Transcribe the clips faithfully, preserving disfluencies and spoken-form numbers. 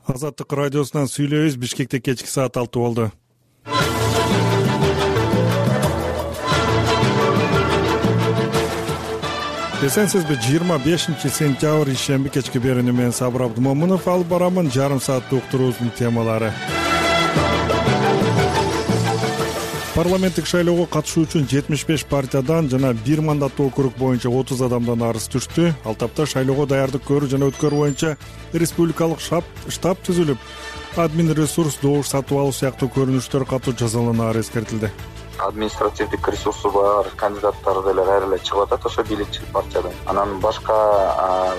Азаттык радиосунан сүйлөйбүз. Бишкекте кечки саат алты болду. Эсенсизби? жыйырма бешинчи сентябрь ишемби кечки берүүнү мен Сабыр Абдымомунов алып барамын. Жарым сааттык уктуруубуздун темалары. Парламенттик шайлоого катышуу үчүн жетимиш беш партиядан жана бир мандаттуу округ боюнча отуз адамдан арыз түштү. Ал тапта шайлоого даярдык көрүү жана өткөрүү боюнча республикалык штаб түзүлүп, админ ресурс, добуш сатып алуу сыяктуу көрүнүштөр катуу жазаланаары эскертилди. Административдик ресурсу бар кандидаттар деле кайра эле чыгып атат ошо бийликчил партиядан. Анан башка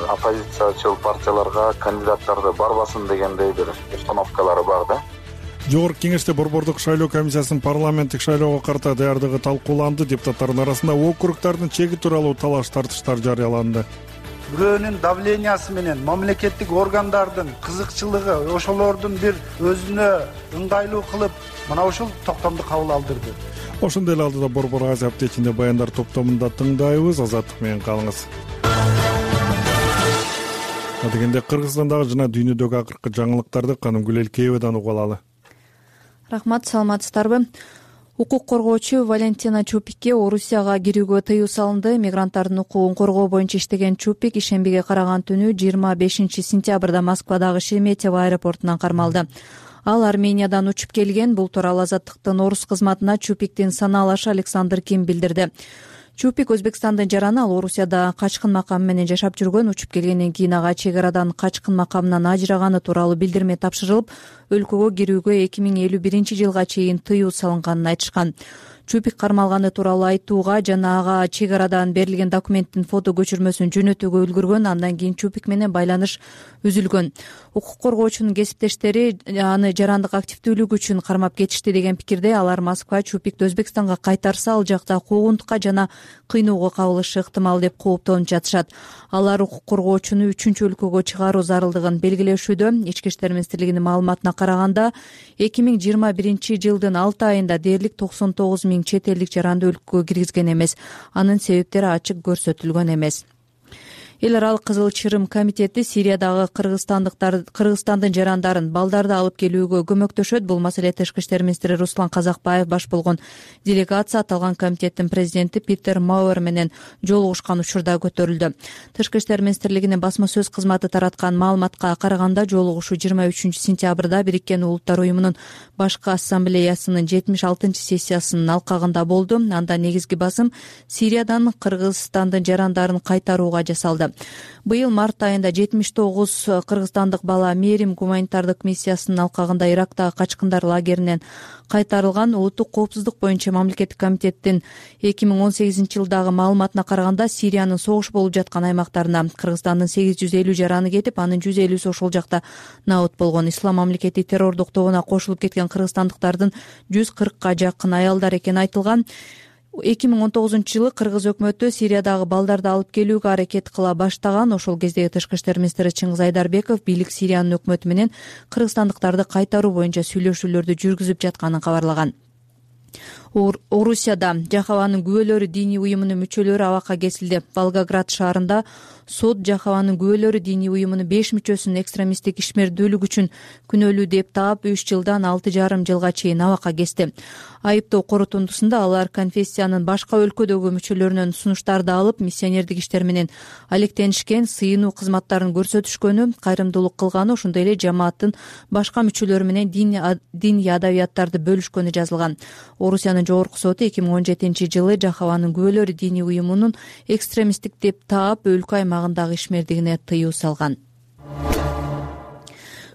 оппозициячыл партияларга кандидаттарды барбасын дегендей бир установкалары бар да. Жогорку кеңеште борбордук шайлоо комиссиясынын парламенттик шайлоого карата даярдыгы талкууланды. Депутаттардын арасында округдардын чеги тууралуу талаш тартыштар жарыяланды. Бирөөнүн давлениясы менен мамлекеттик органдардын кызыкчылыгы ошолордун бир өзүнө ыңгайлуу кылып мына ушул токтомду кабыл алдырды. Ошондой эле алдыда Борбор Азия аптечинде баяндар топтомунда тыңдайбыз. Азаттык менен калыңыз. Дегенде Кыргызстандагы жана дүйнөдөгү акыркы жаңылыктарды Канымгүл Элкеевадан угуп алалы. Рахмат, саламатсыздарбы? Укук коргоочу Валентина Чупикке Орусияга кирүүгө тыюу салынды. Мигранттардын укугун коргоо боюнча иштеген Чупик ишембиге караган түнү жыйырма бешинчи сентябрда Москвадагы Шереметьево аэропортунан кармалды. Ал Армениядан учуп келген. Бул тууралуу Азаттыктын орус кызматына Чупиктин санаалашы Александр Ким билдирди. Чупик Өзбекстандын жараны, ал Орусияда качкын макамы менен жашап жүргөн. Учуп келгенден кийин ага чек арадан качкын макамынан ажыраганы тууралуу билдирме тапшырылып, өлкөгө кирүүгө эки миң элүү биринчи жылга чейин тыюу салынганын айтышкан. Чупик кармалганы тууралуу айтууга жана ага чек арадан берилген документтин фото көчүрмөсүн жөнөтүүгө үлгүргөн. Андан кийин Чупик менен байланыш үзүлгөн. Укук коргоочунун кесиптештери аны жарандык активдүүлүгү үчүн кармап кетишти деген пикирде. Алар Москва Чупикти Өзбекстанга кайтарса, ал жакта куугунтукка жана кыйноого кабылышы ыктымал деп кооптонуп жатышат. Алар укук коргоочуну үчүнчү өлкөгө чыгаруу зарылдыгын белгилешүүдө. Ички иштер министрлигинин маалыматына караганда, эки миң жыйырма биринчи жылдын алты айында дээрлик токсон тогуз миң чет элдик жаранды өлкөгө киргизген эмес. Анын себептери ачык көрсөтүлгөн эмес. Эл аралык Кызыл Чырым комитети Сириядагы кыргызстандыктар Кыргызстандын жарандарын, балдарды алып келүүгө көмөктөшөт. Бул маселе Тышкы иштер министри Руслан Казакбаев баш болгон делегация аталган комитеттин президенти Питер Мауэр менен жолугушкан учурда көтөрүлдү. Тышкы иштер министрлигинин басма сөз кызматы тараткан маалыматка караганда, жолугушуу жыйырма үчүнчү сентябрда Бириккен Улуттар уюмунун башкы ассамблеясынын жетимиш алтынчы сессиясынын алкагында болду. Анда негизги басым Сириядан Кыргызстандын жарандарын кайтарууга жасалды. Быйыл март айында жетимиш тогуз кыргызстандык бала Мерим гуманитардык миссиясынын алкагында Ирактагы качкындар лагеринен кайтарылган. Улуттук коопсуздук боюнча мамлекеттик комитеттин эки миң он сегизинчи жылдагы маалыматына караганда, Сириянын согуш болуп жаткан аймактарына Кыргызстандын сегиз жүз элүү жараны кетип, анын жүз элүүсү ошол жакта набыт болгон. Ислам мамлекети террордук тобуна кошулуп кеткен кыргызстандыктардын жүз кыркка жакын аялдар экени айтылган. эки миң он тогузунчу жылы Кыргыз өкмөтү Сириядагы балдарды алып келүүгө аракет кыла баштаган. Ошол кездеги Тышкы иштер министри Чыңгыз Айдарбеков бийлик Сириянын өкмөтү менен кыргызстандыктарды кайтаруу боюнча сүйлөшүүлөрдү жүргүзүп жатканын кабарлаган. Орусияда Жахаванын күбөлөрү диний уюмунун мүчөлөрү абакка кесилди. Волгоград шаарында сот Жахаванын күбөлөрү диний уюмунун беш мүчөсүн экстремисттик ишмердүүлүк үчүн күнөөлүү деп таап, үч жылдан алты жарым жылга чейин абакка кести. Айыптоо корутундусунда алар конфессиянын башка өлкөдөгү мүчөлөрүнөн сунуштарды алып, миссионердик иштер менен алектенишкен, сыйынуу кызматтарын көрсөтүшкөнү, кайрымдуулук кылганы, ошондой эле жамааттын башка мүчөлөрү менен диний адабияттарды бөлүшкөнү жазылган. Орусиянын жогорку соту эки миң он жетинчи жылы Жахаванын күбөлөрү диний уюмунун экстремисттик деп таап, өлкө аймагындагы ишмердигине тыюу салган.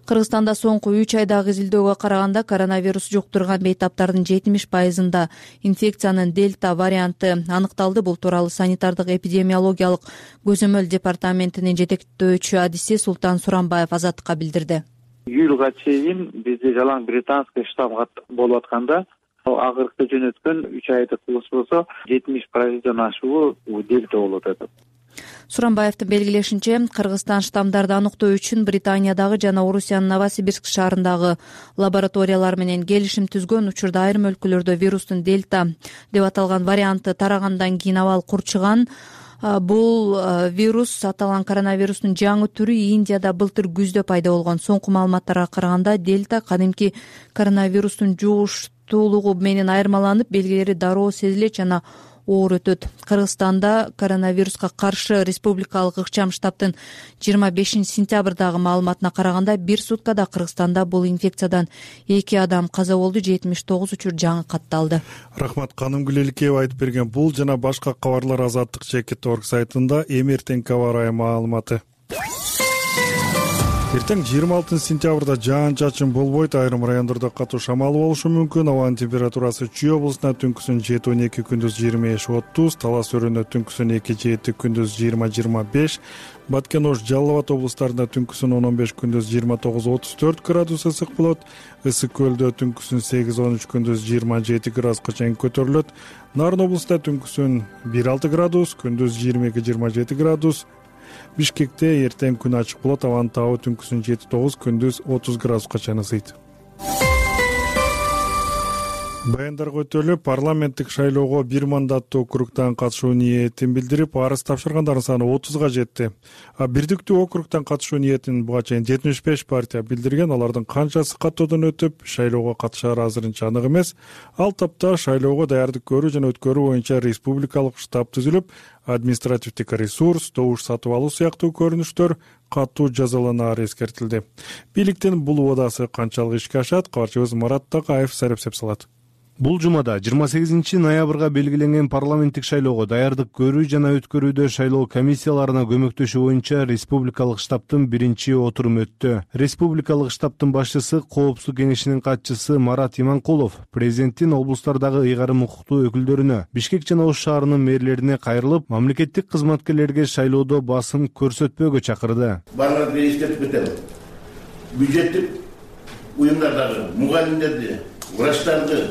Кыргызстанда соңку үч айдагы изилдөөгө караганда, коронавирус жуктурган бейтаптардын жетимиш пайызында инфекциянын дельта варианты аныкталды. Бул тууралуу санитардык эпидемиологиялык көзөмөл департаментинин жетектөөчү адиси Султан Сурамбаев Азаттыкка билдирди. Июлга чейин бизде жалаң британский штамм болуп атканда, акыркы жөнөткөн үч айдык курс болсо жетимиш пайыздан ашуу дельта болуп атат. Сурамбаевдин белгилешинче, Кыргызстан штаммдарды аныктоо үчүн Британиядагы жана Орусиянын Новосибирск шаарындагы лабораториялар менен келишим түзгөн. Учурда айрым өлкөлөрдө вирустун дельта деп аталган варианты тарагандан кийин абал курчуган. бул вирус, аталган коронавирустун жаңы түрү Индияда былтыр күздө пайда болгон. Соңку маалыматтарга караганда дельта кадимки коронавирустун жугуштуулугу менен айырмаланып, белгилери дароо сезилет жана оор өтөт. Кыргызстанда коронавируска каршы республикалык ыкчам штабтын жыйырма бешинчи сентябрдагы маалыматына караганда бир суткада Кыргызстанда бул инфекциядан эки адам каза болду, жетимиш тогуз учур жаңы катталды. Рахмат, Каным Гүлеликеева айтып берген. Бул жана башка кабарлар Азаттык чекит орг сайтында эми эртеңки аба ырайы маалыматы. Эртең жыйырма алтынчы сентябрда жаан-чачын болбойт, айрым райондордо катуу шамал болушу мүмкүн. Абанын температурасы Чүй облусунда түнкүсүн жети он эки, күндүз жыйырма беш отуз, Талас өрөөнүндө түнкүсүн эки жети, күндүз жыйырма жыйырма беш, Баткен Ош, Жалал Абад облустарында түнкүсүн он он беш, күндүз жыйырма тогуз отуз төрт градус ысык болот. Ысык көлдө түнкүсүн сегиз он үч, күндүз жыйырма жети градуска чейин көтөрүлөт. Нарын облустунда түнкүсүн бир алты градус, күндүз жыйырма эки жыйырма жети градус. Бишкекте эртең күн ачык болот, абанын табы түнкүсүн жети тогуз, күндүз отуз градуска чейин ысыйт. Баяндарга өтөлүп, парламенттик шайлоого бир мандаттуу округтан катышуу ниетин билдирип, арыз тапшыргандардын саны отузга жетти. А бирдиктүү округтан катышуу ниетин буга чейин жетимиш беш партия билдирген. Алардын канчасы каттоодон өтүп, шайлоого катышары азырынча анык эмес. Ал тапта шайлоого даярдык көрүү жана өткөрүү боюнча республикалык штаб түзүлүп, административдик ресурс, добуш сатып алуу сыяктуу көрүнүштөр катуу жазаланары эскертилди. Бийликтин бул убадасы канчалык ишке ашат, кабарчыбыз Марат Такаев сарептеп салат. Бул жумада жыйырма сегизинчи ноябрга белгиленген парламенттик шайлоого даярдык көрүү жана өткөрүүдө шайлоо комиссияларына көмөктөшүү боюнча республикалык штабтын биринчи отуруму өттү. Республикалык штабтын башчысы, Коопсуздук кеңешинин катчысы Марат Иманкулов президенттин облустардагы ыйгарым укуктуу өкүлдөрүнө, Бишкек жана Ош шаарынын мэрлерине кайрылып, мамлекеттик кызматкерлерге шайлоодо басым көрсөтпөөгө чакырды. Барларды эскертип кетем. Бюджеттик уюмдардагы мугалимдерди, врачтарды,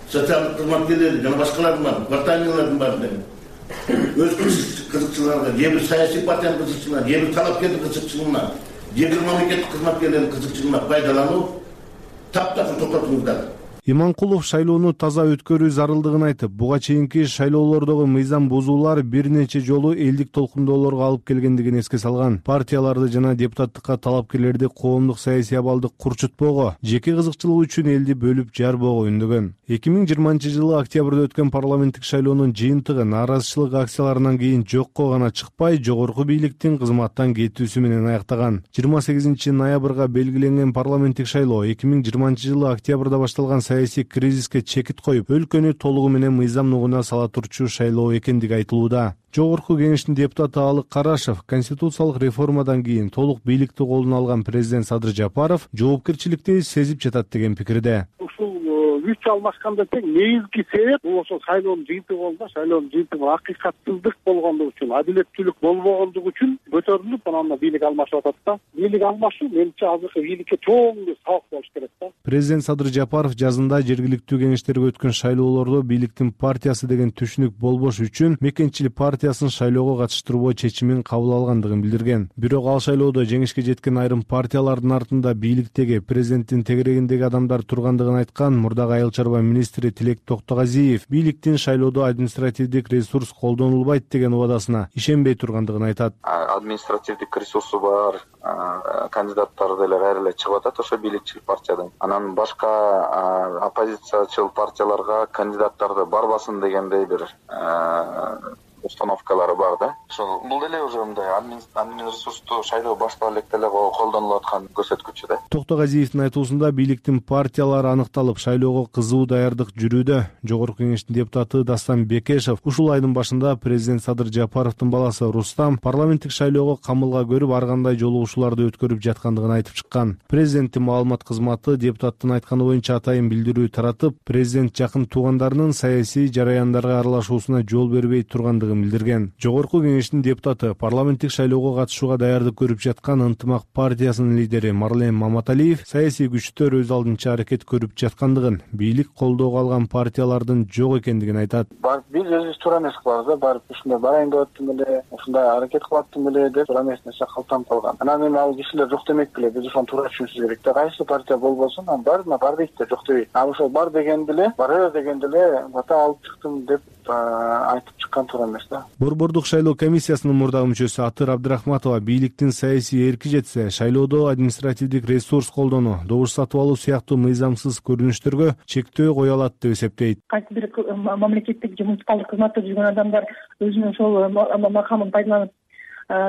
социалдык кызматкерлерди жана башкалардын бар, кварталдын баарын өз кызыкчылыгына, же бир саясий партиянын кызыкчылыгына, же бир талапкердин кызыкчылыгына, же бир мамлекеттик кызматкерлердин кызыкчылыгына пайдалануу таптакыр токтотуңуздар. Иманкулов шайлоону таза өткөрүү зарылдыгын айтып, буга чейинки шайлоолордогу мыйзам бузуулар бир нече жолу элдик толкундоолорго алып келгендигин эске салган. Партияларды жана депутаттыкка талапкерлерди коомдук саясий абалды курчутпоого, жеке кызыкчылык үчүн элди бөлүп жарбоого үндөгөн. эки миң жыйырманчы жылы октябрда өткөн парламенттик шайлоонун жыйынтыгы нааразычылык акцияларынан кийин жокко гана чыкпай, жогорку бийликтин кызматтан кетүүсү менен аяктаган. жыйырма сегизинчи ноябрга белгиленген парламенттик шайлоо эки миң жыйырманчы жылы октябрда башталган саясий кризиске чекит коюп, өлкөнү толугу менен мыйзам нугуна сала турчу шайлоо экендиги айтылууда. Жогорку кеңештин депутаты Алык Карашев конституциялык реформадан кийин толук бийликти колуна алган президент Садыр Жапаров жоопкерчиликти сезип жатат деген пикирде. Ушул күч алмашканда тең негизги себеп бул ошол шайлоонун жыйынтыгы болду. Шайлоонун жыйынтыгы акыйкатсыздык болгондугу үчүн, адилеттүүлүк болбогондугу үчүн көтөрүлүп, анан бийлик алмашып атат да. Бийлик алмашуу менимче азыркы бийликке чоң бир сабак болуш керек да. Президент Садыр Жапаров жазында жергиликтүү кеңештерге өткөн шайлоолордо бийликтин партиясы деген түшүнүк болбош үчүн мекенчилик партиясын шайлоого катыштырбоо чечимин кабыл алгандыгын билдирген. Бирок ал шайлоодо жеңишке жеткен айрым партиялардын артында бийликтеги, президенттин тегерегиндеги адамдар тургандыгын айткан мурдагы айыл чарба министри Тилек Токтогазиев бийликтин шайлоодо административдик ресурс колдонулбайт деген убадасына ишенбей тургандыгын айтат. Административдик ресурсу бар кандидаттар деле ары эле чыгып атат ошо бийликчил партиядан. Анан башка оппозициячыл партияларга кандидаттарды барбасын дегендей бир установкалары бар да. Ошол бул деле уже мындай админ ресурсту шайлоо баштала элек деле колдонулуп аткан көрсөткүчү да. Токтогазиевдин айтуусунда бийликтин партиялары аныкталып, шайлоого кызуу даярдык жүрүүдө. Жогорку кеңештин депутаты Дастан Бекешев ушул айдын башында президент Садыр Жапаровдун баласы Рустам парламенттик шайлоого камылга көрүп, ар кандай жолугушууларды өткөрүп жаткандыгын айтып чыккан. Президенттин маалымат кызматы депутаттын айтканы боюнча атайын билдирүү таратып, президент жакын туугандарынын саясий жараяндарга аралашуусуна жол бербей тургандыгын билдирген. Жогорку кеңештин депутаты парламенттик шайлоого катышууга даярдык көрүп жаткан Ынтымак партиясынын лидери Марлен Маматалиев саясий күчтөр өз алдынча аракет көрүп жаткандыгын, бийлик колдоого алган партиялардын жок экендигин айтат. Бар биз өзүбүз туура эмес кылабыз да, барып ушундай барайын деп аттым эле, ушундай аракет кылып аттым эле деп туура эмес нерсе калтанып калган. Анан эми ал кишилер жок демек беле, биз ошону туура түшүнүшүбүз керек да. Кайсы партия болбосун, анан баарына бар дейт да, жок дебейт. А ошол бар дегенде эле, барып дегенде эле бата алып чыктым деп айтып чыккан туура эмес. да. Борбордук шайлоо комиссиясынын мурдагы мүчөсү Атыр Абдрахматова бийликтин саясий эрки жетсе, шайлоодо административдик ресурс колдонуу, добуш сатып алуу сыяктуу мыйзамсыз көрүнүштөргө чектөө кое алат деп эсептейт. Кайсы бир мамлекеттик же муниципалдык кызматта жүргөн адамдар өзүнүн ошол макамын пайдаланып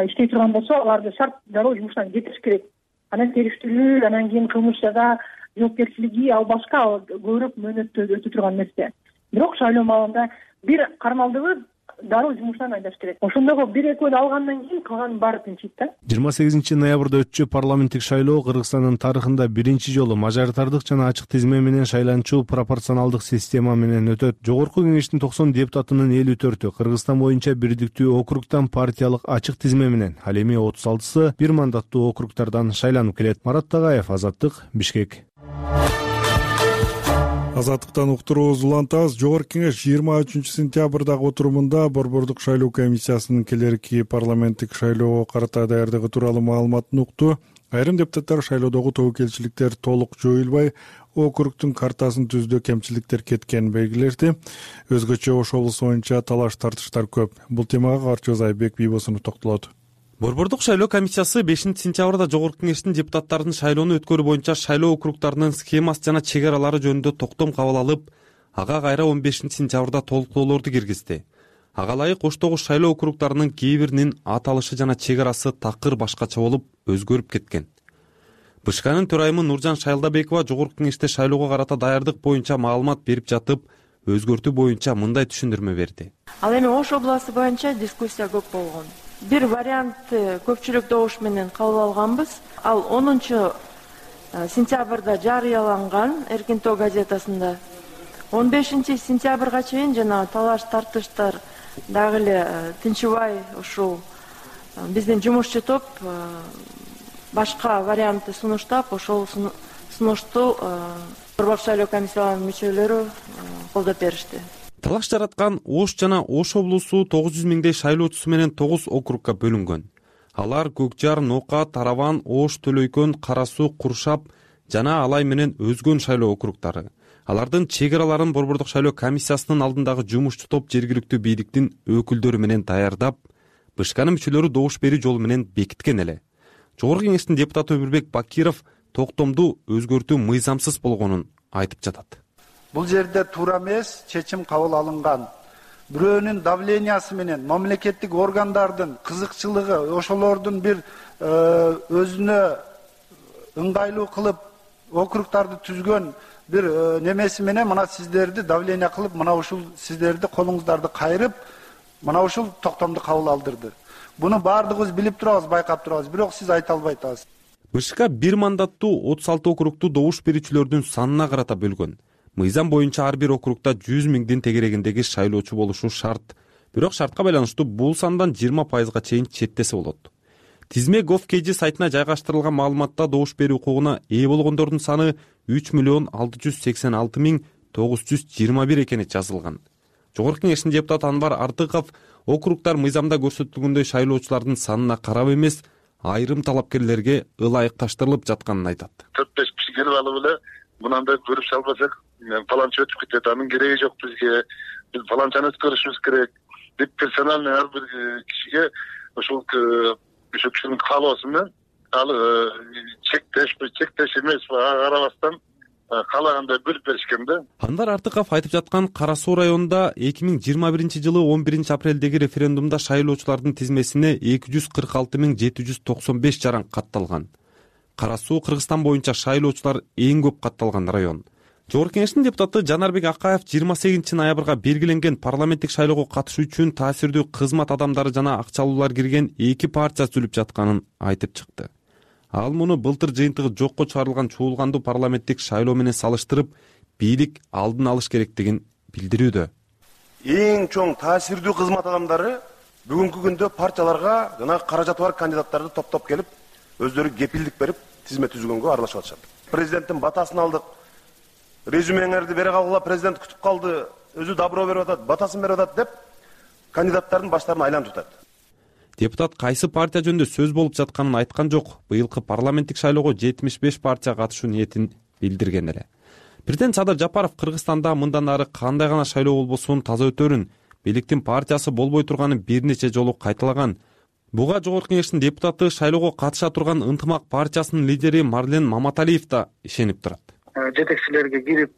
иштей турган болсо, аларды шарт дароо жумуштан кетириш керек. Анан териштирүү, анан кийин кылмыш жаза жоопкерчилиги, ал башка көбүрөөк мөөнөттө өтө турган нерсе. Бирок шайлоо маалында бир кармалдыбы дароо жумуштан айдаш керек. Ошондогу бир экөөнү алгандан кийин калганын баары тынчыйт да. жыйырма сегизинчи ноябрда өтчү парламенттик шайлоо Кыргызстандын тарыхында биринчи жолу мажоритардык жана ачык тизме менен шайланчу пропорционалдык система менен өтөт. Жогорку кеңештин токсон депутатынын элүү төртү Кыргызстан боюнча бирдиктүү округтан партиялык ачык тизме менен, ал эми отуз алтысы бир мандаттуу округтардан шайланып келет. Марат Тагаев, Азаттык, Бишкек. Азаттыктан уктуруубуз улантабыз. Жогорку кеңеш жыйырма үчүнчү сентябрдагы отурумунда Борбордук шайлоо комиссиясынын келерки парламенттик шайлоого карата даярдыгы тууралуу маалыматын укту. Айрым депутаттар шайлоодогу тобокелчиликтер толук жоюлбай, округтун картасын түздө кемчиликтер кеткенин белгилерди. Өзгөчө Ош облусу боюнча талаш тартыштар көп. Бул темага Арчоз Айбек Бийбосунов токтолот. Борбордук шайлоо комиссиясы бешинчи сентябрда Жогорку кеңештин депутаттарынын шайлоону өткөрүү боюнча шайлоо округтарынын схемасы жана чек аралары жөнүндө токтом кабыл алып, ага кайра он бешинчи сентябрда толуктоолорду киргизди. Ага ылайык Оштогу шайлоо округтарынын кээ биринин аталышы жана чек арасы такыр башкача болуп өзгөрүп кеткен. БШКнын төрайымы Нуржан Шайлдабекова Жогорку кеңеште шайлоого карата даярдык боюнча маалымат берип жатып, өзгөртүү боюнча мындай түшүндүрмө берди. Ал эми Ош областы боюнча дискуссия көп болгон. Бир вариантты көпчүлүк добуш менен кабыл алганбыз. Ал онунчу сентябрда жарыяланган Эркин-Тоо газетасында. он бешинчи сентябрга чейин жана талаш тартыштар дагы эле тынчыбай ушул биздин жумушчу топ башка вариантты сунуштап, ошол сунушту Борбордук шайлоо комиссияларынын мүчөлөрү колдоп беришти. Талаш жараткан Ош жана Ош облусу тогуз жүз миңдей шайлоочусу менен тогуз округга бөлүнгөн. Алар Көкжар, Нока, Тараван, Ош, Төлөйкөн, Кара Суу, Куршап жана Алай менен өзгөн шайлоо округтары. Алардын чек араларын Борбордук шайлоо комиссиясынын алдындагы жумушчу топ жергиликтүү бийликтин өкүлдөрү менен даярдап, БШКнын мүчөлөрү добуш берүү жолу менен бекиткен эле. Жогорку кеңештин депутаты Өмүрбек Бакиров токтомду өзгөртүү мыйзамсыз болгонун айтып жатат. Бул жерде туура эмес чечим кабыл алынган. Бирөөнүн давлениясы менен мамлекеттик органдардын кызыкчылыгы, ошолордун бир өзүнө ыңгайлуу кылып округтарды түзгөн бир немеси менен мына сиздерди давление кылып, мына ушул сиздерди колуңуздарды кайрып, мына ушул токтомду кабыл алдырды. Буну баардыгыбыз билип турабыз, байкап турабыз, бирок сиз айта албай атасыз. БШК бир мандаттуу отуз алты округту добуш берүүчүлөрдүн санына карата бөлгөн. Мыйзам боюнча ар бир округта жүз миңдин тегерегиндеги шайлоочу болушу шарт. Бирок шартка байланыштуу бул сандан жыйырма пайызга чейин четтесе болот. Тизме gov.kg сайтына жайгаштырылган маалыматта добуш берүү укугуна ээ болгондордун саны үч миллион алты жүз сексен алты миң тогуз жүз жыйырма бир экени жазылган. Жогорку кеңештин депутаты Анвар Артыков округтар мыйзамда көрсөтүлгөндөй шайлоочулардын санына карап эмес, айрым талапкерлерге ылайыкташтырылып жатканын айтат. төрт беш киши келип алып эле мынандай көрүп салбасак, фаланча өтүп кетет, анын кереги жок бизге, биз фаланчаны өткөрүшүбүз керек деп персональный ар бир кишиге ошол ошол кишинин каалоосу менен ал чектеш, чектеш эмеспи, ага карабастан каалагандай бөлүп беришкен да. Анвар Артыков айтып жаткан Кара Суу районунда эки миң жыйырма биринчи жылы он биринчи апрелдеги референдумда шайлоочулардын тизмесине эки жүз кырк алты миң жети жүз токсон беш жаран катталган. Кара Суу Кыргызстан боюнча шайлоочулар эң көп катталган район. Жогорку кеңештин депутаты Жанарбек Акаев жыйырма сегизинчи ноябрга белгиленген парламенттик шайлоого катышуу үчүн таасирдүү кызмат адамдары жана акчалуулар кирген эки партия түзүлүп жатканын айтып чыкты. Ал муну былтыр жыйынтыгы жокко чыгарылган чуулгандуу парламенттик шайлоо менен салыштырып, бийлик алдын алыш керектигин билдирүүдө. Эң чоң таасирдүү кызмат адамдары бүгүнкү күндө партияларга жана каражаты бар кандидаттарды топтоп келип, өздөрү кепилдик берип, тизме түзгөнгө аралашып атышат. Президенттин батасын алдык. Резюмеңерди бере калгыла, президент күтүп калды, өзү добро берип атат, батасын берип атат деп кандидаттардын баштарын айлантып атат. Депутат кайсы партия жөнүндө сөз болуп жатканын айткан жок. Быйылкы парламенттик шайлоого жетимиш беш партия катышуу ниетин билдирген эле. Президент Садыр Жапаров Кыргызстанда мындан ары кандай гана шайлоо болбосун таза өтөрүн, бийликтин партиясы болбой турганын бир нече жолу кайталаган. Буга Жогорку Кеңештин депутаты, шайлоого катыша турган Ынтымак партиясынын лидери Марлен Маматалиев да ишенип турат. Жетекчилерге кирип,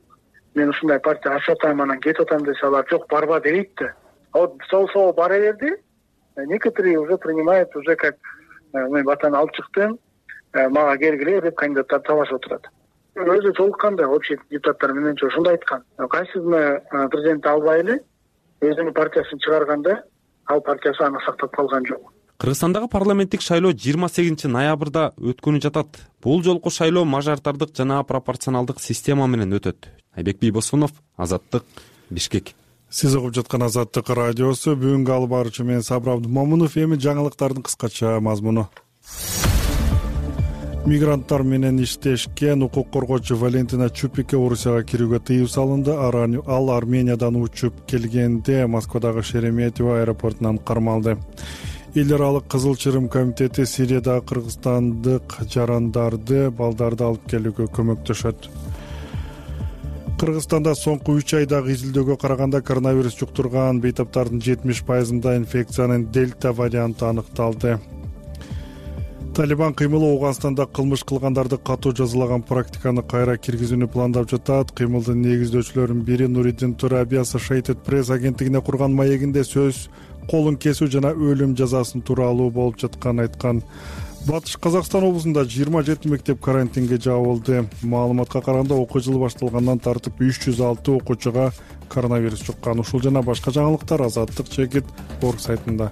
мен ушундай партия ачып атам, анан кетип атам десе, алар жок барба дейт да. Вот сол-сол бара берди. Некоторые уже принимают уже как мен батаны алып чыктым, мага келгиле деп кандидаттар талашып отурат. Өзү толукканда общий депутаттар мененчи ошондой айткан. Кайсысына президент албай эле өзүнүн партиясын чыгарганда, ал партиясы аны сактап калган жок. Кыргызстандагы парламенттик шайлоо жыйырма сегизинчи ноябрда өткөнү жатат. Бул жолку шайлоо мажоритардык жана пропорционалдык система менен өтөт. Айбек Бийбосунов, Азаттык, Бишкек. Сиз угуп жаткан Азаттык радиосу. Бүгүнкү алып баруучу мен Сабыр Абдумомунов. Эми жаңылыктардын кыскача мазмуну. Мигранттар менен иштешкен укук коргоочу Валентина Чупикке Орусияга кирүүгө тыюу салынды. Ал Армениядан учуп келгенде Москвадагы Шереметьево аэропортунан кармалды. Эл аралык Кызыл Чырым комитети Сириядагы кыргызстандык жарандарды, балдарды алып келүүгө көмөктөшөт. Кыргызстанда соңку үч айдагы изилдөөгө караганда коронавирус жуктурган бейтаптардын жетимиш пайызында инфекциянын дельта варианты аныкталды. Талибан кыймылы Ооганстанда кылмыш кылгандарды катуу жазалаган практиканы кайра киргизүүнү пландап жатат. Кыймылдын негиздөөчүлөрүнүн бири Нуриддин Тураби Associated Press агенттигине курган маегинде сөз колун кесүү жана өлүм жазасын тууралуу болуп жатканын айткан. Батыш Казакстан облусунда жыйырма жети мектеп карантинге жабылды. Маалыматка караганда окуу жылы башталгандан тартып үч жүз алты окуучуга коронавирус жуккан. Ушул жана башка жаңылыктар Азаттык чекит орг сайтында.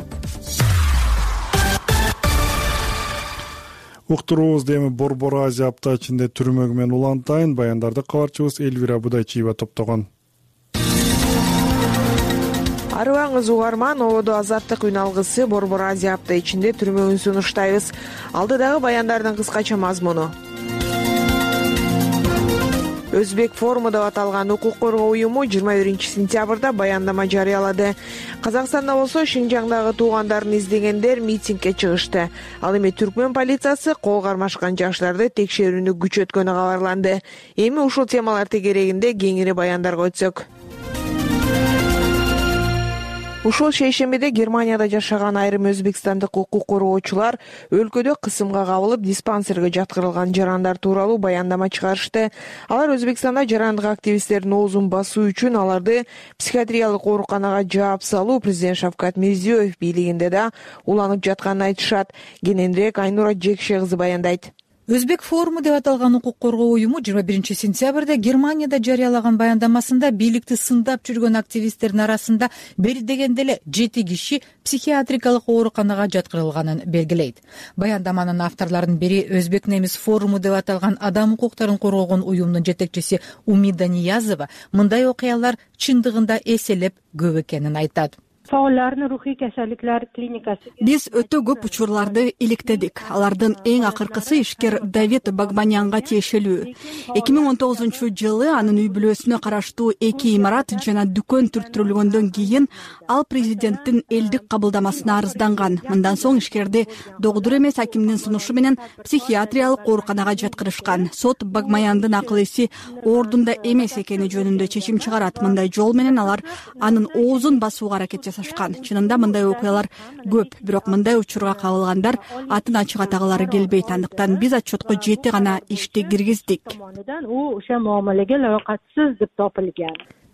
Уктуруубузду эми Борбор Азия апта ичинде түрмөгү менен улантайын. Баяндарды кабарчыбыз Элвира Будайчиева топтогон. Арыбаңыз угарман, ободо Азаттык үн алгысы Борбор Азия апта ичинде түрмөгүн сунуштайбыз. Алдыдагы баяндардын кыскача мазмуну. Өзбек форуму деп аталган укук коргоо уюму жыйырма биринчи сентябрда баяндама жарыялады. Казакстанда болсо Шинжаңдагы туугандарын издегендер митингге чыгышты. Ал эми түркмөн полициясы кол кармашкан жаштарды текшерүүнү күчөткөнү кабарланды. Эми ушул темалар тегерегинде кеңири баяндарга өтсөк. Ушул шейшембиде Германияда жашаган айрым өзбекстандык укук коргоочулар өлкөдө кысымга кабылып диспансерге жаткырылган жарандар тууралуу баяндама чыгарышты. Алар Өзбекстанда жарандык активисттердин оозун басуу үчүн аларды психиатриялык ооруканага жаап салуу президент Шавкат Мирзиёев бийлигинде да уланып жатканын айтышат. Кененирээк Айнура Жекше кызы баяндайт. Өзбек форуму деп аталган укук коргоо уюму жыйырма биринчи сентябрда Германияда жарыялаган баяндамасында бийликти сындап жүргөн активисттердин арасында бери дегенде эле жети киши психиатрикалык ооруканага жаткырылганын белгилейт. Баяндаманын авторлорунун бири Өзбек немис форуму деп аталган адам укуктарын коргогон уюмдун жетекчиси Умида Ниязова мындай окуялар чындыгында эселеп көп экенин айтат. Биз өтө көп учурларды иликтедик. Алардын эң акыркысы ишкер Давид Багманянга тиешелүү. эки миң он тогузунчу жылы анын үй бүлөсүнө караштуу эки имарат жана дүкөн түрттүрүлгөндөн кийин ал президенттин элдик кабылдамасына арызданган. Мындан соң ишкерди догдур эмес акимдин сунушу менен психиатриялык ооруканага жаткырышкан. Сот Багмаяндын акыл эси ордунда эмес экени жөнүндө чечим чыгарат. Мындай жол менен алар анын оозун басууга аракет жасашкан. Чынында мындай окуялар көп, бирок мындай учурга кабылгандар атын ачык атагалары келбейт. Андыктан биз отчетко жети гана ишти киргиздик.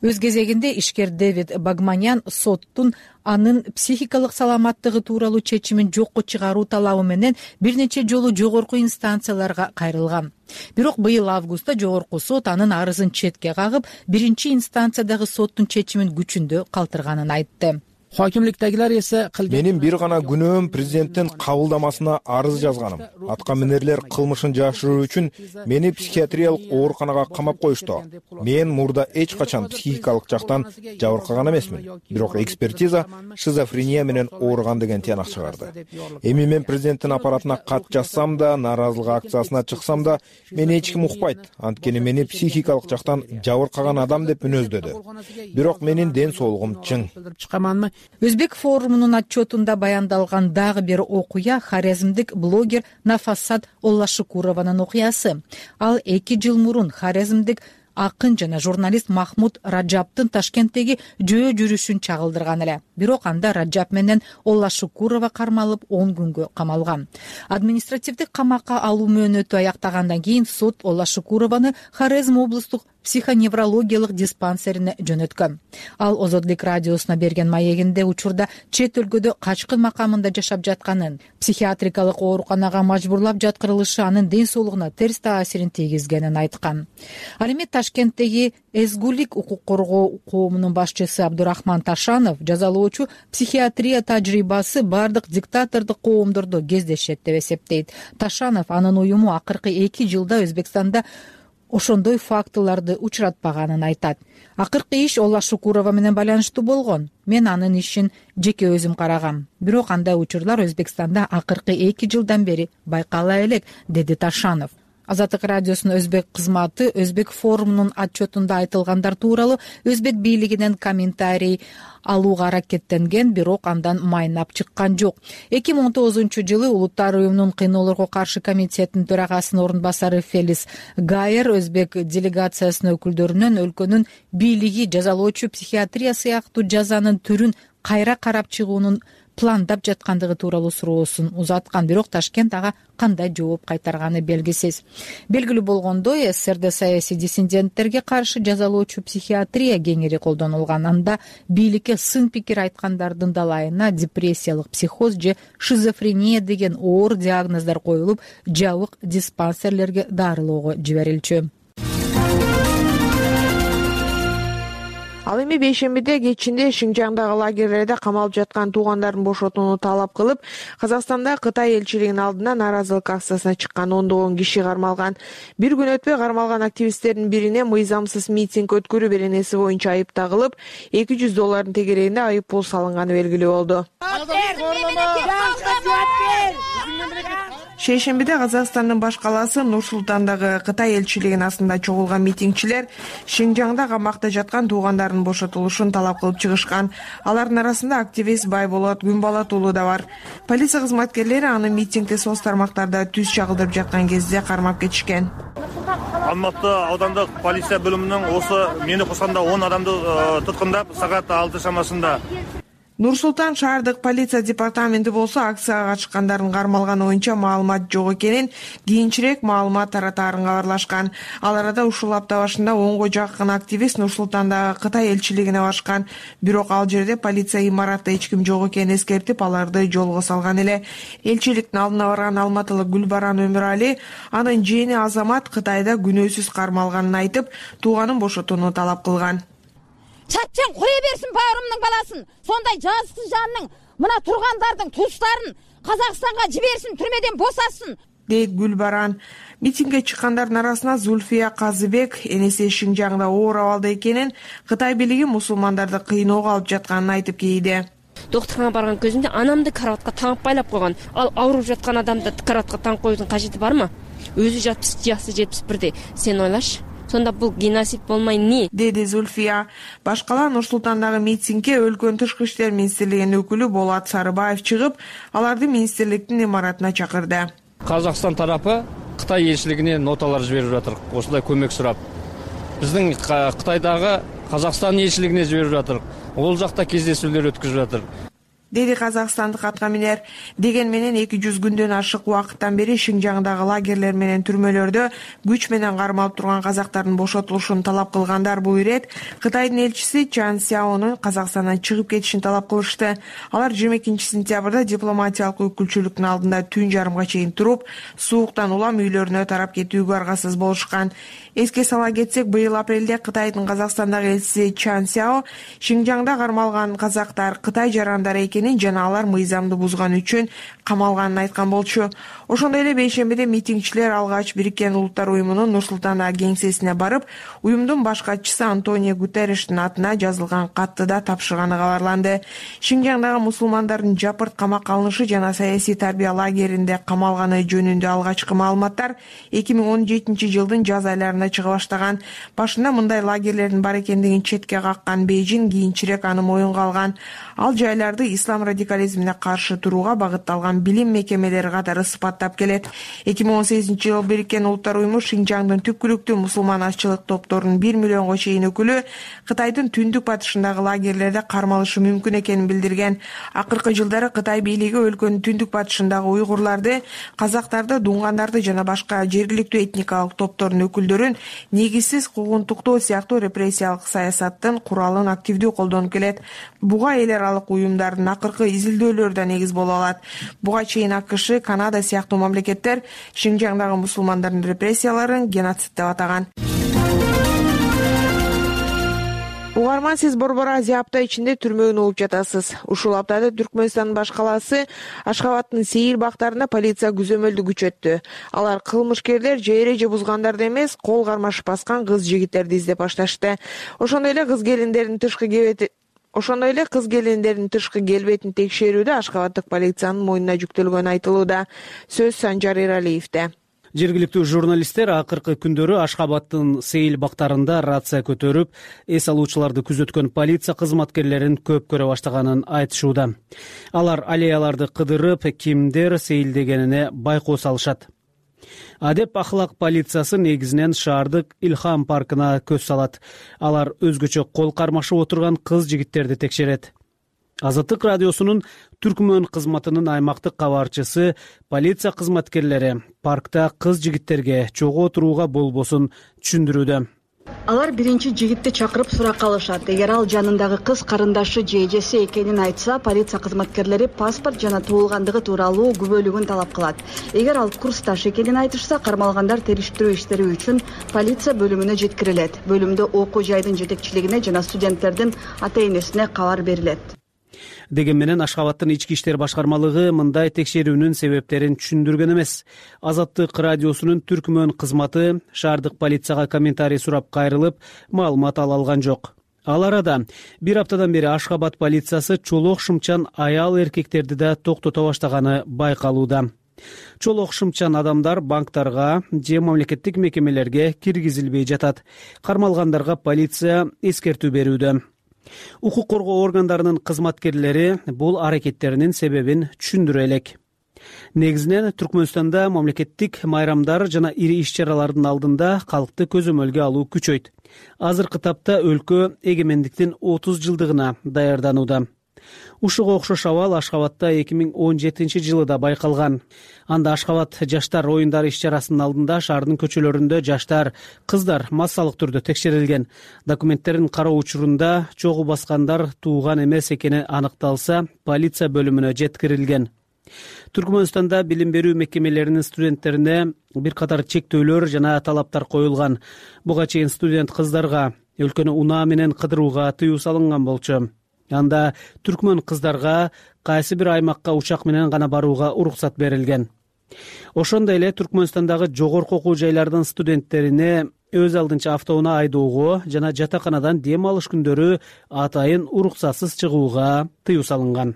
Өз кезегинде ишкер Дэвид Багманян соттун анын психикалык саламаттыгы тууралуу чечимин жокко чыгаруу талабы менен бир нече жолу жогорку инстанцияларга кайрылган. Бирок быйыл августта жогорку сот анын арызын четке кагып, биринчи инстанциядагы соттун чечимин күчүндө калтырганын айтты. Хакимликтегилер эсе менин бир гана күнөөм президенттин кабылдамасына арыз жазганым. Атка минерлер кылмышын жашыруу үчүн мени психиатриялык ооруканага камап коюшту. Мен мурда эч качан психикалык жактан жабыркаган эмесмин. Бирок экспертиза шизофрения менен ооруган деген тыянак чыгарды. Эми мен президенттин аппаратына кат жазсам да, нааразылык акциясына чыксам да, мени эч ким укпайт. Анткени мени психикалык жактан жабыркаган адам деп мүнөздөдү. Бирок менин ден соолугум чың. Өзбек форумунун отчетунда баяндалган дагы бир окуя хорезмдик блогер Нафассат Оллашукурованын окуясы. Ал эки жыл мурун хорезмдик акын жана журналист Махмуд Раджаптын Ташкенттеги жөө жүрүшүн чагылдырган эле. Бирок анда Раджап менен Олла Шукурова кармалып он күнгө камалган. Административдик камакка алуу мөөнөтү аяктагандан кийин суд Олла Шукурованы Хорезм облустук психоневрологиялык диспансерине жөнөткөн. Ал Озодлук радиосуна берген маегинде учурда чет өлкөдө качкын макамында жашап жатканын, психиатрикалык ооруканага мажбурлап жаткырылышы анын ден соолугуна терс таасирин тийгизгенин айткан. Ал эми Ташкенттеги Эзгулик укук коргоо коомунун башчысы Абдурахман Ташанов жазалоочу психиатрия тажрыйбасы бардык диктатордук коомдордо кездешет деп эсептейт. Ташанов анын уюму акыркы эки жылда Өзбекстанда ошондой фактыларды учуратпаганын айтат. Акыркы иш Олла Шукурова менен байланыштуу болгон. Мен анын ишин жеке өзүм карагам. Бирок андай учурлар Өзбекстанда акыркы эки жылдан бери байкала элек, деди Ташанов. Азаттык радиосунун өзбек кызматы Өзбек форумунун отчетунда айтылгандар тууралуу өзбек бийлигинен комментарий алууга аракеттенген, бирок андан майнап чыккан жок. эки миң он тогузунчу жылы Улуттар уюмунун кыйноолорго каршы комитетинин төрагасынын орун басары Фелис Гайер өзбек делегациясынын өкүлдөрүнөн өлкөнүн бийлиги жазалоочу психиатрия сыяктуу жазанын түрүн кайра карап чыгуунун пландап жаткандыгы тууралуу суроосун узаткан, бирок Ташкент ага кандай жооп кайтарганы белгисиз. Белгилүү болгондой, СССРде саясий диссиденттерге каршы жазалоочу психиатрия кеңири колдонулган. Анда бийликке сын пикир айткандардын далайына депрессиялык психоз же шизофрения деген оор диагноздар коюлуп, жабык диспансерлерге дарылоого жиберилчү. Ал эми бейшембиде кечинде Шинжаңдагы лагерлерде камалып жаткан туугандарын бошотууну талап кылып, Казакстанда Кытай элчилигинин алдына нааразылык акциясына чыккан ондогон киши кармалган. Бир күн өтпөй кармалган активисттердин бирине мыйзамсыз митинг өткөрүү беренеси боюнча айып тагылып, эки жүз доллардын тегерегинде айып пул салынганы белгилүү болду. Шейшембиде Казакстандын баш калаасы Нур-Султандагы Кытай элчилигинин астында чогулган митингчилер Шинжаңда камакта жаткан туугандардын бошотулушун талап кылып чыгышкан. Алардын арасында активист Байболот Күнбалат уулу да бар. Полиция кызматкерлери аны митингде соц тармактарда түз чагылдырып жаткан кезде кармап кетишкен. Алматы аудандык полиция бөлүмүнүн осы мени кошконда он адамды туткундап саат алты шамасында. Нур-Султан шаардык полиция департаменти болсо акцияга катышкандардын кармалганы боюнча маалымат жок экенин, кийинчерээк маалымат таратаарын кабарлашкан. Ал арада ушул апта башында онго жакын активист Нур-Султандагы Кытай элчилигине барышкан. Бирок ал жерде полиция имаратта эч ким жок экенин эскертип, аларды жолго салган эле. Элчиликтин алдына барган алматылык Гүлбаран Өмүрали анын жээни Азамат Кытайда күнөөсүз кармалганын айтып, тууганын бошотууну талап кылган. Чатчан кое берсин баарымдын баласын. Сондай жазыксыз жанның мына тургандардын туустарын Казакстанга жиберсин, түрмөдөн босасын, дейт Гүлбаран. Митингге чыккандардын арасына Зульфия Казыбек энеси Шинжаңда оор абалда экенин, Кытай бийлиги мусулмандарды кыйноого алып жатканын айтып кейди. Доктурга барган көзүмдө анамды караватка таңып байлап койгон. Ал ауруп жаткан адамды караватка таңып коюудун кажети бармы? Өзү жатпыш жасы жетимиш бирде. Сен ойлаш. Сонда бул геноцид болмай не? Деди Зульфия. Башкалар Нур-Султандагы митингге өлкөнүн тышкы иштер министрлигинин өкүлү Болот Сарыбаев чыгып, аларды министрликтин имаратына чакырды. Казакстан тарапы Кытай элчилигине ноталар жиберип жатыр, ушундай көмөк сурап. Биздин Кытайдагы Казакстан элчилигине жиберип жатыр. Ол жакта кездесүүлөр өткүзүп жатыр. Деди казакстандык аткаминер. Деген менен эки жүз күндөн ашык убакыттан бери Шинжаңдагы лагерлер менен түрмөлөрдө күч менен кармалып турган казактардын бошотулушун талап кылгандар бул ирет Кытайдын элчиси Чан Сяонун Казакстандан чыгып кетишин талап кылышты. Алар жыйырма экинчи сентябрда дипломатиялык өкүлчүлүктүн алдында түн жарымга чейин туруп, сууктан улам үйлөрүнө тарап кетүүгө аргасыз болушкан. Эске сала кетсек, быйыл апрелде Кытайдын Казакстандагы элчиси Чан Сяо Шинжаңда кармалган казактар Кытай жарандары экенин жана алар мыйзамды бузган үчүн камалганын айткан болчу. Ошондой эле бейшембиде митингчилер алгач Бириккен Улуттар уюмунун Нур-Султандагы кеңсесине барып, уюмдун баш катчысы Антонио Гутерриштин атына жазылган катты да тапшырганы кабарланды. Шинжаңдагы мусулмандардын жапырт камакка алынышы жана саясий тарбия лагеринде камалганы жөнүндө алгачкы маалыматтар эки миң он жетинчи жылдын жаз айларында чыга баштаган. Башында мындай лагерлердин бар экендигин четке каккан Бейжин кийинчерээк аны моюнга алган. Ал жайларды ислам ислам радикализмине каршы турууга багытталган билим мекемелери катары сыпаттап келет. эки миң он сегизинчи жылы Бириккен Улуттар уюму Шинжаңдын түпкүлүктүү мусулман азчылык топторунун бир миллионго чейин өкүлү Кытайдын түндүк батышындагы лагерлерде кармалышы мүмкүн экенин билдирген. Акыркы жылдары Кытай бийлиги өлкөнүн түндүк батышындагы уйгурларды, казактарды, дуңгандарды жана башка жергиликтүү этникалык топтордун өкүлдөрүн негизсиз куугунтуктоо сыяктуу репрессиялык саясаттын куралын активдүү колдонуп келет. Буга эл аралык уюмдардын акыркы изилдөөлөрү да негиз боло алат. Буга чейин АКШ, Канада сыяктуу мамлекеттер Шинжаңдагы мусулмандардын репрессияларын геноцид деп атаган. Угарман, сиз Борбор Азия апта ичинде түрмөгүн угуп жатасыз. Ушул аптада Түркмөнстандын баш калаасы Ашхабадтын Сейил бактарында полиция күзөмөлдү күчөттү. Алар кылмышкерлер же эреже бузгандарды эмес, кол кармашып баскан кыз жигиттерди издеп башташты. Ошондой эле кыз келиндердин тышкы кебети Ошондой эле кыз келиндердин тышкы келбетин текшерүүдө Ашхабадтык полициянын мойнуна жүктөлгөнү айтылууда. Сөз Санжар Эралиевде. Жергиликтүү журналисттер акыркы күндөрү Ашхабадтын Сейил бактарында рация көтөрүп, эс алуучуларды күзөткөн полиция кызматкерлерин көп көрө баштаганын айтышууда. Алар аллеяларды кыдырып, кимдер сейилдегенине байкоо салышат. Адеп ахлак полициясы негизинен шаардык Илхам паркына көз салат. Алар өзгөчө кол кармашып отурган кыз жигиттерди текшерет. Азаттык радиосунун Түркмөн кызматынын аймактык кабарчысы полиция кызматкерлери паркта кыз жигиттерге чогуу отурууга болбосун түшүндүрүүдө. Алар биринчи жигитти чакырып суракка алышат. Эгер ал жанындагы кыз карындашы же эжеси экенин айтса, полиция кызматкерлери паспорт жана туулгандыгы тууралуу күбөлүгүн талап кылат. Эгер ал курсташ экенин айтышса, кармалгандар териштирүү иштери үчүн полиция бөлүмүнө жеткирилет. Бөлүмдө окуу жайдын жетекчилигине жана студенттердин ата-энесине кабар берилет. Деген менен Ашхабадтын ички иштер башкармалыгы мындай текшерүүнүн себептерин түшүндүргөн эмес. Азаттык радиосунун Түркмөн кызматы шаардык полицияга комментарий сурап кайрылып, маалымат ала алган жок. Ал арада бир аптадан бери Ашхабад полициясы чолок шымчан аял эркектерди да токтото баштаганы байкалууда. Чолок шымчан адамдар банктарга же мамлекеттик мекемелерге киргизилбей жатат. Кармалгандарга полиция эскертүү берүүдө. Укук коргоо органдарынын кызматкерлери бул аракеттеринин себебин түшүндүрө элек. Негизинен Түркмөнстанда мамлекеттик майрамдар жана ири иш-чаралардын алдында калкты көзөмөлгө алуу күчөйт. Азыркы тапта өлкө эгемендиктин отуз жылдыгына даярданууда. Ушуга окшош абал Ашхабадта эки миң он жетинчи жылы да байкалган. Анда Ашхабад жаштар оюндары иш-чарасынын алдында шаардын көчөлөрүндө жаштар, кыздар массалык түрдө текшерилген. Документтерин кароо учурунда чогуу баскандар тууган эмес экени аныкталса, полиция бөлүмүнө жеткирилген. Түркмөнстанда билим берүү мекемелеринин студенттерине бир катар чектөөлөр жана талаптар коюлган. Буга чейин студент кыздарга өлкөнү унаа менен кыдырууга тыюу салынган болчу. Анда түркмөн кыздарга кайсы бир аймакка учак менен гана барууга уруксат берилген. Ошондой эле Түркмөнстандагы жогорку окуу жайлардын студенттерине өз алдынча автоунаа айдоого жана жатаканадан дем алыш күндөрү атайын уруксатсыз чыгууга тыюу салынган.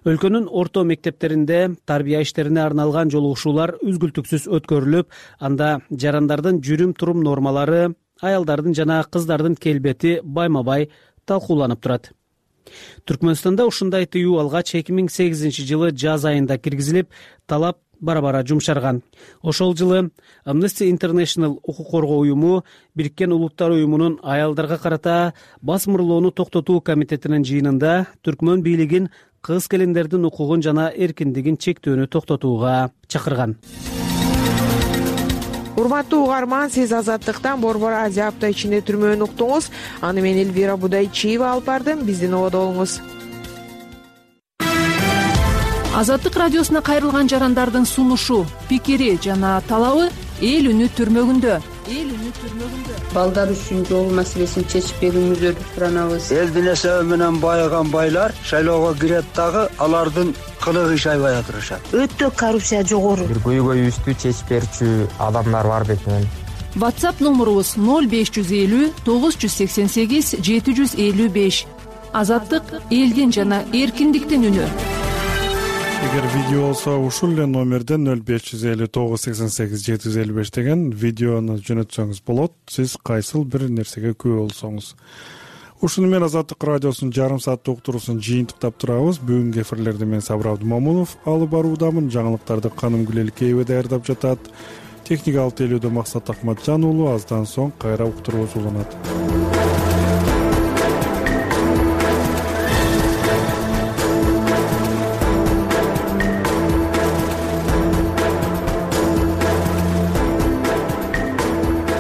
Өлкөнүн орто мектептеринде тарбия иштерине арналган жолугушуулар үзгүлтүксүз өткөрүлүп, анда жарандардын жүрүм-турум нормалары, аялдардын жана кыздардын келбети байма-бай талкууланып турат. Түркмөнстанда ушундай тыюу алгач эки миң сегизинчи жылы жаз айында киргизилип, талап бара-бара жумшарган. Ошол жылы Amnesty International укук коргоо уюму Бириккен Улуттар уюмунун аялдарга карата басмырлоону токтотуу комитетинин жыйынында түркмөн бийлигин кыз келиндердин укугун жана эркиндигин чектөөнү токтотууга чакырган. Урматтуу угарман, сиз Азаттыктан Борбор Азия апта ичинде түрмөнү уктуңуз. Аны мен Элвира Будайчиева алып бардым. Биздин ободо болуңуз. Азаттык радиосуна кайрылган жарандардын сунушу, пикири жана талабы эл үнү түрмөгүндө. Эл үнү түрмөгүндө. Балдар үчүн жол маселесин чечип берүүңүздөрдү суранабыз. Элдин эсеби менен байыган байлар шайлоого кирет дагы алардын кылыгы иш аябай атырышат. Өтө коррупция жогору. Бир көйгөйүбүздү чечип берчү адамдар бар бетинен. WhatsApp номурубуз ноль беш жүз элүү тогуз жүз сексен сегиз жети жүз элүү беш. Азаттык элдин жана эркиндиктин үнү. Эгер видео болсо ушул эле номерден ноль беш жүз элүү тогуз жүз сексен сегиз жети жүз элүү беш деген видеону жөнөтсөңүз болот. Сиз кайсыл бир нерсеге күбө болсоңуз. ушуну менен Азаттык радиосунун жарым сааттык уктуруусун жыйынтыктап турабыз. Бүгүнкү эфирлерди мен Сабыр Абдымомунов алып баруудамын. Жаңылыктарды Каным Гүлелкеева даярдап жатат. Техникалык тейлөөдө Максат Акматжан уулу. Аздан соң кайра уктуруубуз уланат.